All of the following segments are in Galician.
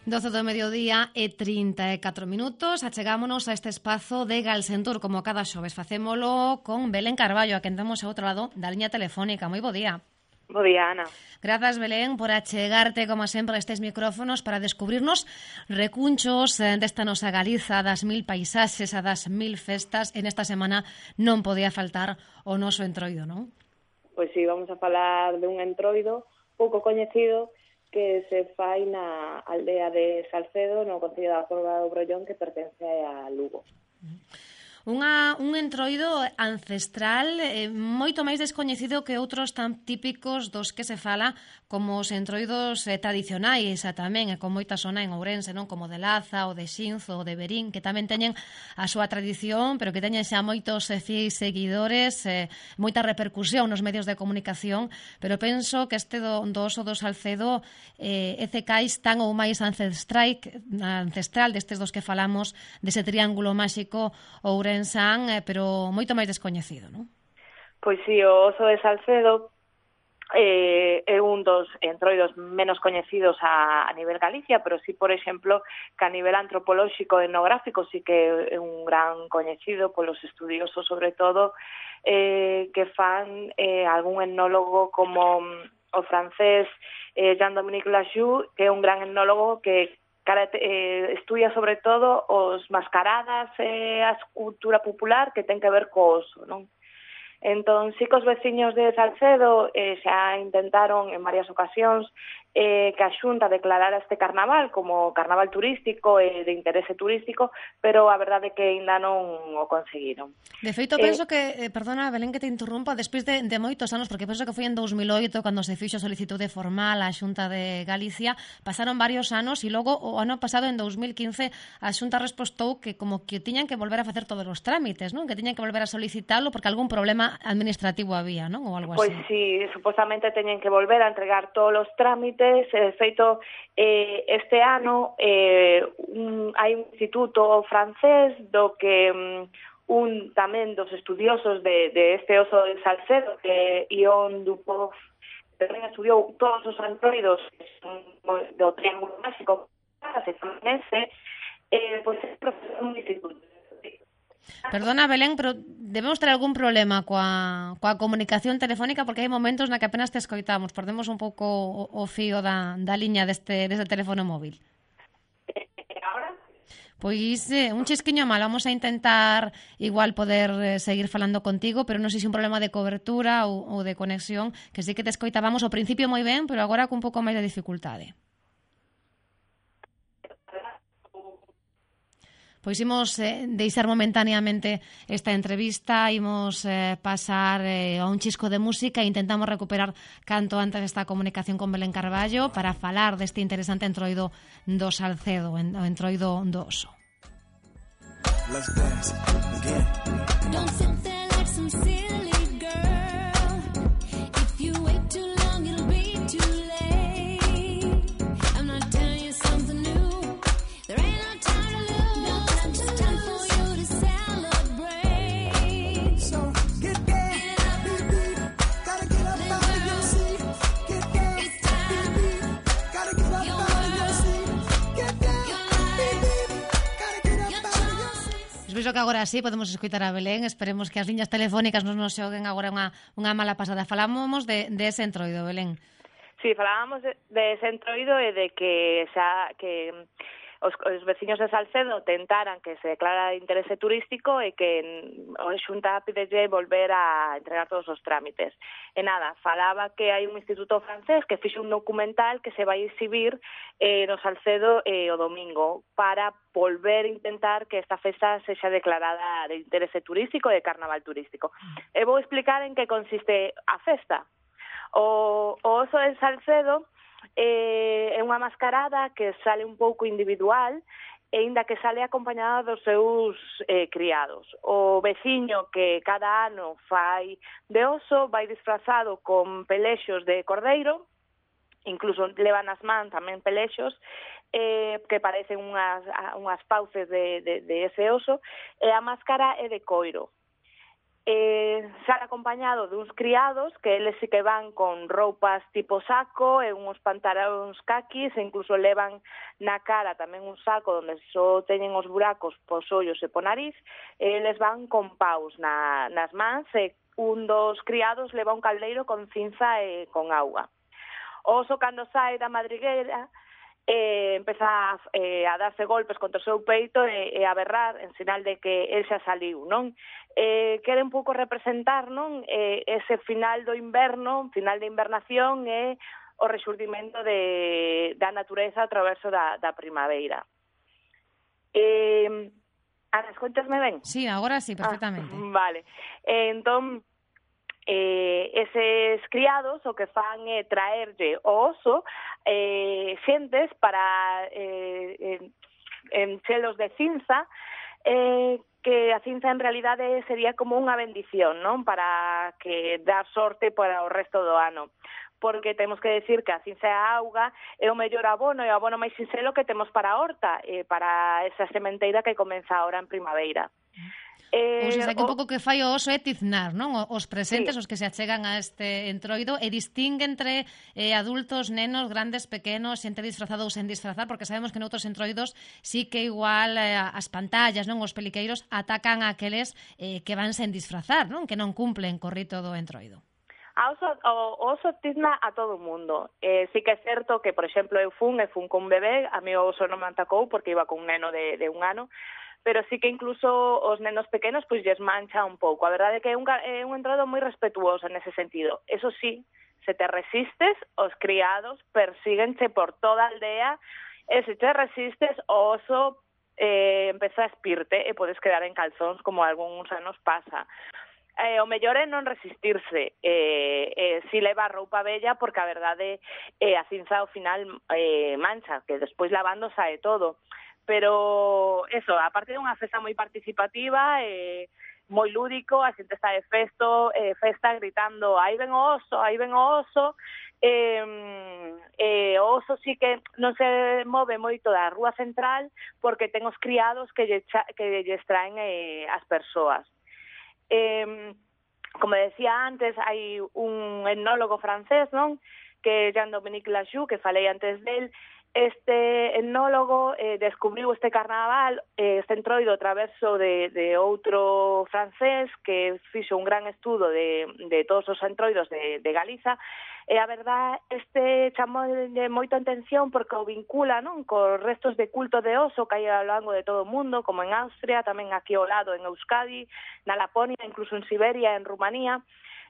12 do mediodía e 34 minutos. Achegámonos a este espazo de Galsentur, como cada xoves. Facémolo con Belén Carballo, a quen temos ao outro lado da liña telefónica. Moi bo día. Bo día, Ana. Grazas, Belén, por achegarte, como sempre, a estes micrófonos para descubrirnos recunchos desta nosa Galiza, das 1000 paisaxes, a das 1000 festas. En esta semana non podía faltar o noso entroido, non? Pois sí, vamos a falar de un entroido pouco coñecido que se fai na aldea de Salcedo, no concello da Porba do Brollón, que pertence a Lugo. Un entroido ancestral moito máis descoñecido que outros tan típicos dos que se fala como os entroidos tradicionais tamén, con moita zona en Ourense, non, como de Laza, ou de Xinzo, ou de Verín, que tamén teñen a súa tradición, pero que teñen xa moitos fieis seguidores, moita repercusión nos medios de comunicación, pero penso que este do oso do Salcedo é cecais tan ou máis ancestral destes dos que falamos, dese triángulo máxico Ourensán, pero moito máis descoñecido, non? Pois sí, o oso de Salcedo é un dos entroidos menos coñecidos a nivel Galicia, pero sí, por exemplo, que a nivel antropolóxico e etnográfico sí que é un gran coñecido polos estudiosos, sobre todo, que fan algún etnólogo como o francés Jean-Dominique Lajoux, que é un gran etnólogo que estudia sobre todo os mascaradas e a cultura popular que ten que ver co oso, non? Entón, sí que os veciños de Salcedo xa intentaron en varias ocasións que a Xunta declarara este carnaval como carnaval turístico e de interese turístico, pero a verdade é que ainda non o conseguiron. De feito, penso que, perdona, Belén, que te interrumpa, despois de moitos anos, porque penso que foi en 2008 cando se fixo a solicitude formal á Xunta de Galicia, pasaron varios anos e logo o ano pasado, en 2015, a Xunta respostou que como que tiñan que volver a facer todos os trámites, non? Que tiñan que volver a solicitalo porque algún problema administrativo había, non? Ou algo así. Pois sí, supostamente teñen que volver a entregar todos os trámites. De feito, este ano hai un instituto francés do que un tamén dos estudiosos de este oso de Salcedo, que Ion Dupont, tamén estudiou todos os entroidos do triángulo máxico, pois é profesor un instituto. Perdona, Belén, pero debemos ter algún problema coa comunicación telefónica, porque hai momentos na que apenas te escoitamos. Perdemos un pouco o fío da liña deste teléfono móvil. Ahora? Pois un chisquiño mal. Vamos a intentar igual poder seguir falando contigo, pero non sei se un problema de cobertura ou de conexión, que sí que te escoitábamos ao principio moi ben, pero agora con un pouco máis de dificultade. Pois imos deixar momentaneamente esta entrevista, imos pasar a un chisco de música e intentamos recuperar canto antes esta comunicación con Belén Carballo para falar deste interesante entroido do Salcedo, o entroido do oso. Let's dance again. Don't sit there like some silly girl. If you wait too long, it'll be too late. I'm not telling you something new. There ain't no time to lose. It's time for you to celebrate. So get down, baby. Gotta get up out of your seat. Get down, baby. Gotta get up out of your seat. Get down, baby. Gotta get up out of your seat. Penso que agora sí podemos escoitar a Belén. Esperemos que as liñas telefónicas non nos xoguen agora unha mala pasada. Falábamos de ese entroido, Belén. Sí, falábamos de ese entroido e de que os veciños de Salcedo tentaran que se declara de interese turístico e que a Xunta pidelle volver a entregar todos os trámites. E nada, falaba que hai un instituto francés que fixe un documental que se vai exhibir no Salcedo o domingo para volver a intentar que esta festa sexa declarada de interese turístico e de carnaval turístico. E vou explicar en que consiste a festa. O oso de Salcedo é unha mascarada que sale un pouco individual e inda que sale acompañada dos seus criados. O veciño que cada ano fai de oso vai disfrazado con pelexos de cordeiro, incluso levan nas mans tamén pelexos que parecen unhas fauces de ese oso, e a máscara é de coiro. sale acompañado duns criados que eles sí que van con roupas tipo saco e uns pantalóns caquis e incluso levan na cara tamén un saco onde só teñen os buracos pos ollos e po nariz e eles van con paus nas mans e un dos criados leva un caldeiro con cinza e con auga. O oso cando sai da madriguera empeza a darse golpes contra o seu peito e a berrar en sinal de que el xa saliu, non? Quere un pouco representar, non? Ese final do inverno, final de invernación e o rexurdimento da natureza a traverso da primavera. Ana, escoitasme ben? Sí, agora sí, perfectamente. Vale. Entón, eses criados o que fan é traerlle o oso xentes para enchelos de cinza que a cinza en realidade sería como unha bendición, non? Para que dar sorte para o resto do ano porque temos que decir que a cinza e a auga é o mellor abono e o abono máis sinxelo que temos para a horta para esa sementeira que comeza ahora en primavera. Ou seja, que un pouco que fai o oso é tiznar, non? Os presentes, Sí. os que se achegan a este entroido, e distingue entre adultos, nenos, grandes, pequenos, xente disfrazada ou sen disfrazar, porque sabemos que noutros entroidos sí que igual as pantallas, non, os peliqueiros atacan a aqueles que van sen disfrazar, non? Que non cumplen co rito do entroido. O oso tizna a todo o mundo. Sí que é certo que, por exemplo, eu fun con un bebé, a mí o oso non me atacou porque iba con un neno de 1 ano, pero sí que incluso os nenos pequenos pois lles mancha un pouco. A verdade é que é un entroido moi respetuoso nese sentido. Eso sí, se te resistes, os criados persíguenche por toda a aldea e se te resistes, o oso empeza a espirte e podes quedar en calzóns como algúns anos pasa. O mellor é non resistirse si leva roupa bella porque a verdade a cinza ao final mancha, que despois lavando sae todo. Pero eso, aparte de unha festa moi participativa moi lúdico, a xente está de festa gritando aí ven o oso, aí ven o oso. O oso sí que non se move moito da rúa central porque ten os criados que lles traen as persoas. Como decía antes, hai un etnólogo francés, non? Que é Jean-Dominique Lajoux, que falei antes del. Este etnólogo descubriu este carnaval, este entroido a traverso de outro francés que fixo un gran estudo de todos os entroidos de Galiza, e a verdad chamou moita atención porque o vincula, non, cos restos de culto de oso que hai ao longo de todo o mundo, como en Austria, tamén aquí ao lado en Euskadi, na Laponia, incluso en Siberia, en Rumanía.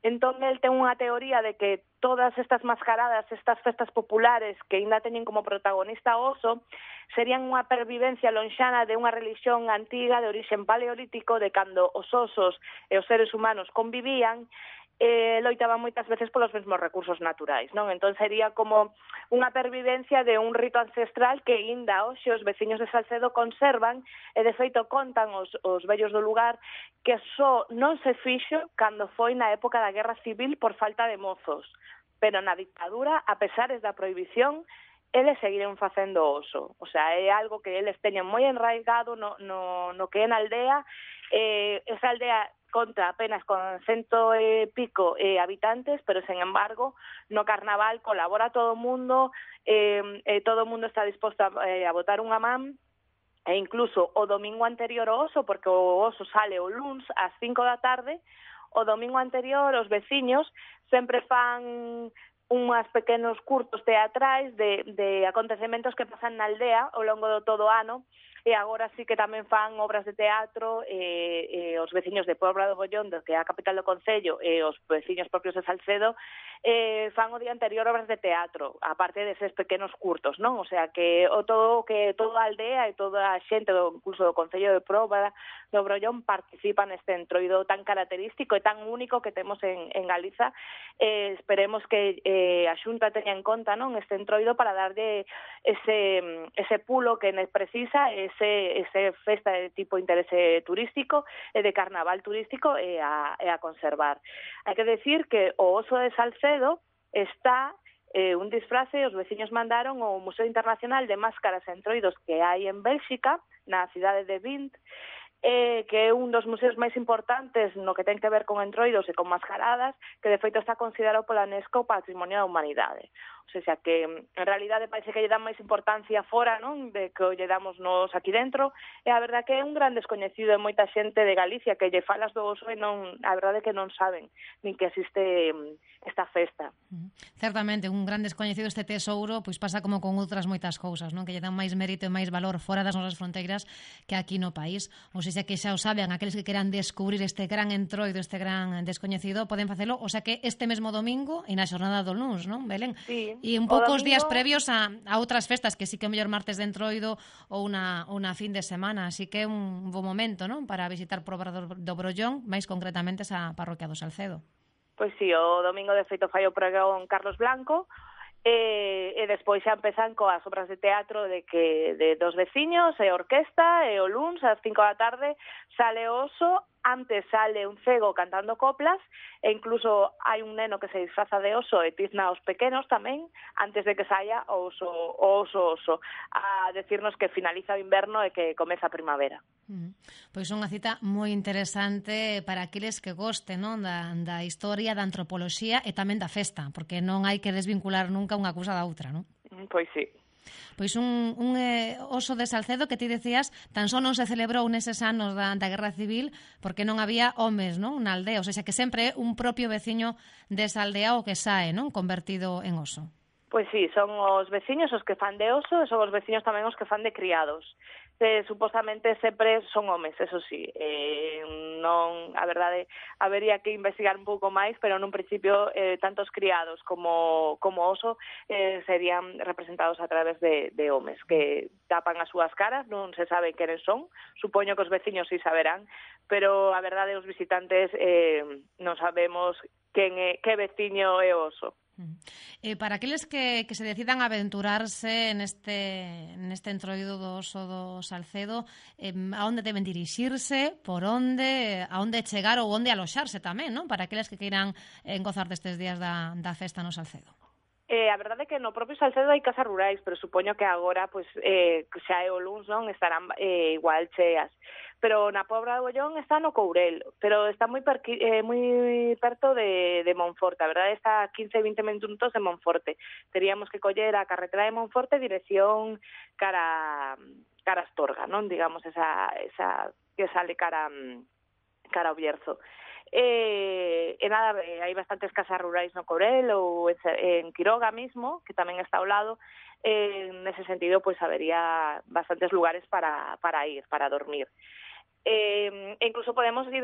Entón, el ten unha teoría de que todas estas mascaradas, estas festas populares que ainda teñen como protagonista o oso, serían unha pervivencia lonxana de unha religión antiga de orixen paleolítico de cando os osos e os seres humanos convivían loitaban moitas veces polos mesmos recursos naturais, non? Entón sería como unha pervivencia de un rito ancestral que ainda hoxe os veciños de Salcedo conservan e de feito contan os vellos do lugar que só non se fixo cando foi na época da Guerra Civil por falta de mozos, pero na dictadura, a pesares da prohibición, eles seguiron facendo oso. O sea, é algo que eles teñen moi enraigado no que é na aldea. Esa aldea conta apenas con 100 e pico habitantes, pero, sen embargo, no carnaval colabora todo o mundo, todo o mundo está disposto a botar unha man, e incluso o domingo anterior ao oso, porque o oso sale o luns ás 5 da tarde, o domingo anterior os veciños sempre fan unhas pequenos curtos teatrais de acontecementos que pasan na aldea ao longo do todo o ano, e agora sí que tamén fan obras de teatro os veciños de Pobra do Bollondo, que é a capital do concello, e os veciños propios de Salcedo fan o día anterior obras de teatro, aparte deses pequenos curtos, non? O sea, que toda a aldea e toda a xente incluso do concello de Pobra do Brollón participa neste entroido tan característico e tan único que temos en Galiza. Esperemos que a Xunta teña en conta, non, este entroido para darlle ese pulo que precisa, ese festa de tipo interese turístico e de carnaval turístico e a conservar. Hai que decir que o oso de Salcedo está un disfrace, os veciños mandaron ao Museo Internacional de Máscaras e Entroidos que hai en Bélxica, na cidade de Vint, que é un dos museos máis importantes no que ten que ver con entroidos e con mascaradas, que de feito está considerado pola UNESCO Patrimonio da Humanidade. O sea, que en realidade parece que lle dan máis importancia fora, non, de que lle damos nos aquí dentro, e a verdade que é un gran descoñecido de moita xente de Galicia que lle falas do oso e non, a verdade que non saben nin que existe esta festa. Certamente, un gran descoñecido este tesouro, pois pasa como con outras moitas cousas, non? Que lle dan máis mérito e máis valor fora das nosas fronteiras que aquí no país. Ou seja, que xa o saben, aqueles que queran descubrir este gran entroido, este gran descoñecido, poden facelo, o sea que este mesmo domingo e na xornada do luns, non, Belén? Sí. E un pouco os días previos a outras festas, que sí que o mellor martes de entroido ou unha fin de semana, así que é un bo momento, non, para visitar por do Brollón, máis concretamente esa parroquia do Salcedo. Pois sí, o domingo de feito fai o pregón Carlos Blanco, e despois xa empezan coas obras de teatro de dos veciños e orquesta, e o luns ás 5 da tarde sale o oso, antes sale un cego cantando coplas, e incluso hai un neno que se disfraza de oso e tizna aos pequenos tamén, antes de que saia o oso, a decirnos que finaliza o inverno e que comeza a primavera. Pois unha cita moi interesante para aqueles que gosten, non, da historia, da antropoloxía e tamén da festa, porque non hai que desvincular nunca unha cousa da outra, non? Pois sí. Pois un oso de Salcedo que ti decías tan só non se celebrou neses anos da Guerra Civil porque non había homes, non, na aldea, ou seja, que sempre é un propio veciño desa aldea o que sae, non, convertido en oso. Pois sí, son os veciños os que fan de oso e son os veciños tamén os que fan de criados. Supostamente sempre son homes, eso sí. Non, a verdade, habería que investigar un pouco máis, pero nun principio tanto os criados como oso serían representados a través de homes que tapan as súas caras, non se sabe quenes son, supoño que os veciños sí saberán, pero a verdade os visitantes non sabemos que veciño é o oso. Para aqueles que se decidan aventurarse neste entroido do oso do Salcedo, a onde deben dirixirse, por onde, a onde chegar ou onde aloxarse tamén, non? Para aqueles que queiran gozar destes días da festa no Salcedo. A verdade é que no propio Salcedo hai casas rurais, pero supoño que agora, pois, xa é o luns, non, estarán igual cheas. Pero na Pobra do Bollón está no Courel, pero está moi perto de Monforte. A verdade está a 15-20 minutos de Monforte. Teríamos que coller a carretera de Monforte dirección cara Astorga, non? Digamos, esa que sale cara ao Bierzo. E nada, hai bastantes casas rurais no Courel ou en Quiroga mismo, que tamén está ao lado. Nese sentido, pois habería bastantes lugares para ir, para dormir. Incluso podemos ir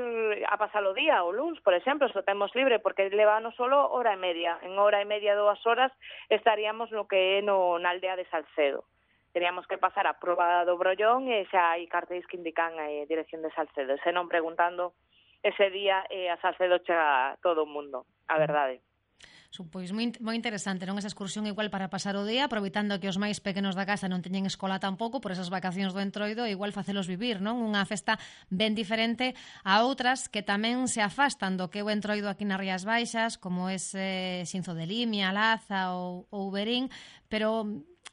a pasar o día o luns, por exemplo, se o temos libre, porque levanos solo hora e media. En hora e media, 2 horas, estaríamos no que é na aldea de Salcedo. Teríamos que pasar a proba do Brollón e xa hai cartéis que indican a dirección de Salcedo. Se non preguntando ese día a Salcedo chega todo o mundo, a verdade. Pois moi interesante, non, esa excursión igual para pasar o día, aproveitando que os máis pequenos da casa non teñen escola tampouco por esas vacacións do entroido, igual facelos vivir, non? Unha festa ben diferente a outras que tamén se afastan do que é o entroido aquí nas Rías Baixas, como ese Xinzo de Limia, Laza ou Verín, pero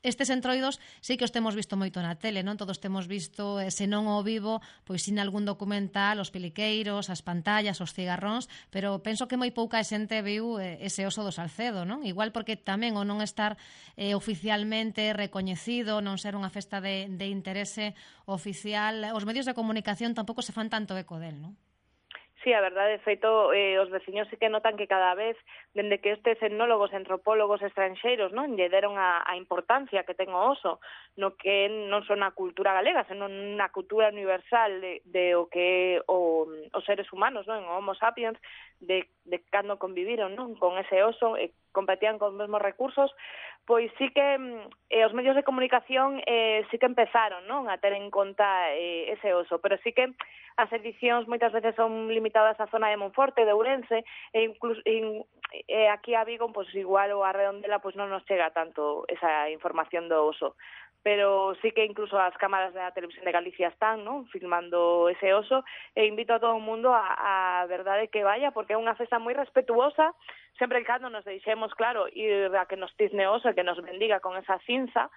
estes entroidos sí que os temos visto moito na tele, non? Todos temos visto, se non ao vivo, pois sin algún documental, os peliqueiros, as pantallas, os cigarróns, pero penso que moi pouca xente viu ese oso do Salcedo, non? Igual porque tamén o non estar oficialmente recoñecido, non ser unha festa de interese oficial, os medios de comunicación tampouco se fan tanto eco del, non? Sí, a verdade, de feito, os veciños sí que notan que cada vez, dende que estes etnólogos, antropólogos estranxeiros, non, lle deron a importancia que ten o oso, no que non son a cultura galega, senón na cultura universal de o que os seres humanos, non, o Homo sapiens, de cando conviviron, non, con ese oso, competían con os mesmos recursos, pois sí que os medios de comunicación sí que empezaron, non, a ter en conta ese oso, pero sí que as edicións moitas veces son limitadas á zona de Monforte, de Ourense, e incluso aquí a Vigo, pois igual ou a Redondela, pois non nos chega tanto esa información do oso. Pero sí que incluso as cámaras da Televisión de Galicia están, non, filmando ese oso, e invito a todo o mundo a verdade que vaya, porque é unha festa moi respetuosa, sempre e cando nos deixemos, claro, ir a que nos tizne o oso e que nos bendiga con esa cinza,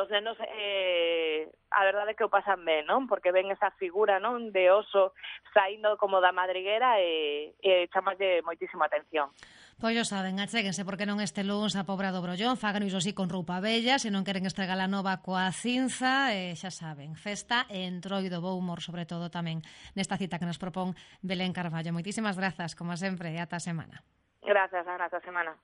os nenos a verdade é que o pasan ben, non? Porque ven esa figura, non, de oso saindo como da madriguera e chamalle moitísima atención. Pois yo saben, achéguense porque non este luns a Pobra do Brollón, fagan iso así con roupa bella, se non queren estregar a nova coa cinza, xa saben, festa e entroido, bo humor, sobre todo tamén nesta cita que nos propón Belén Carballo. Moitísimas grazas, como sempre, e ata a semana. Grazas, Ana, ata a semana.